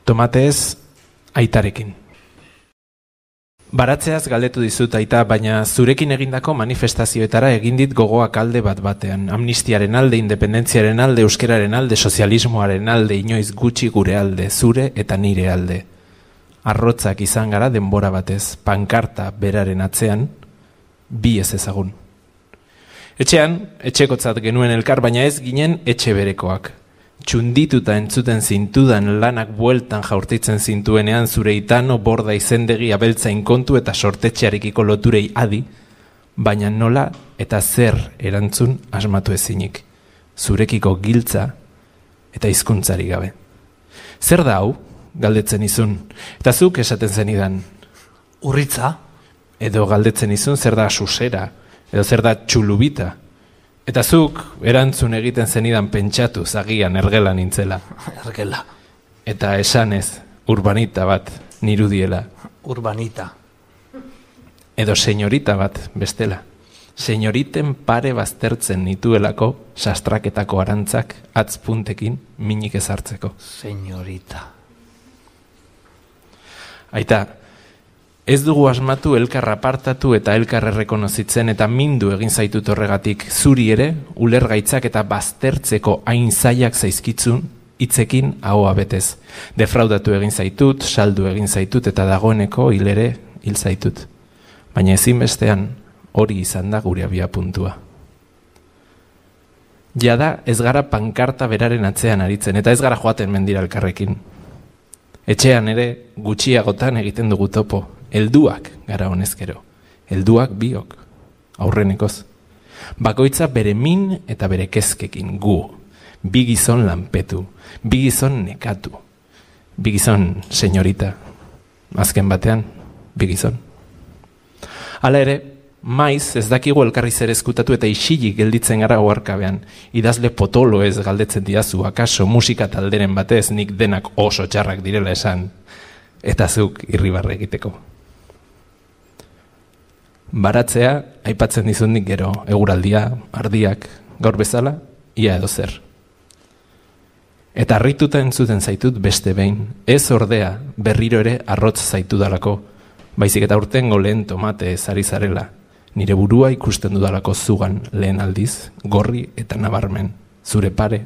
Tomatez aitarekin. Baratzeaz galdetu dizut aita, baina zurekin egindako manifestazioetara egin dit gogoak alde bat batean. Amnistiaren alde, independentziaren alde, euskeraren alde, sozialismoaren alde, inoiz gutxi gure alde, zure eta nire alde. Arrotzak izan gara denbora batez, pankarta beraren atzean, bi ez ezagun. Etxean, etxekotzat genuen elkar, baina ez ginen etxe berekoak. Txundituta entzuten zintudan lanak bueltan jaurtitzen zintuenean zure itano, borda, izendegi, abeltzain kontu eta sortetxearekiko loturei adi, baina nola eta zer erantzun asmatu ezinik, zurekiko giltza eta hizkuntzari gabe. Zer da hau, galdetzen izun, eta zuk esaten zenidan? Urritza? Edo galdetzen izun zer da susera, edo zer da txulubita. Eta zuk erantzun egiten zenidan pentsatu zagian ergela nintzela. Ergela. Eta esanez, urbanita bat nirudiela. Urbanita. Edo senyorita bat bestela. Senyoriten pare baztertzen nituelako sastraketako arantzak atzpuntekin minik ezartzeko. Senyorita. Aita, ez dugu asmatu elkar apartatu eta elkar errekonozitzen eta mindu egin zaitut horregatik, zuri ere ulergaitzak eta baztertzeko hain zaiak zaizkitzun hitzekin ahoa betez. Defraudatu egin zaitut, saldu egin zaitut eta dagoeneko hil zaitut. Baina ezinbestean hori izan da gure abia puntua. Jada ez gara pankarta beraren atzean aritzen eta ez gara joaten mendira elkarrekin. Etxean ere gutxiagotan egiten dugu topo. Helduak gara honezkero, helduak biok, aurrenekoz. Bakoitza bere min eta bere kezkekin gu, bi gizon lanpetu, bi gizon nekatu, bi gizon senyorita, azken batean, bi gizon. Hala ere, maiz ez dakigu elkarri zer ezkutatu eta isilik gelditzen gara oharkabean, idazle potolo ez galdetzen didazu, akaso musika talderen batez nik denak oso txarrak direla esan, eta zuk irribarre egiteko. Baratzea, aipatzen dizundik gero, eguraldia, ardiak, gaur bezala, ia edo zer. Eta harrituta entzuten zaitut beste behin, ez ordea berriro ere arrotz zaitudalako, baizik eta urtengo lehen tomate ezari zarela, nire burua ikusten dudalako zugan lehen aldiz, gorri eta nabarmen, zure pare,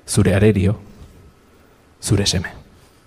zure arerio, zure seme.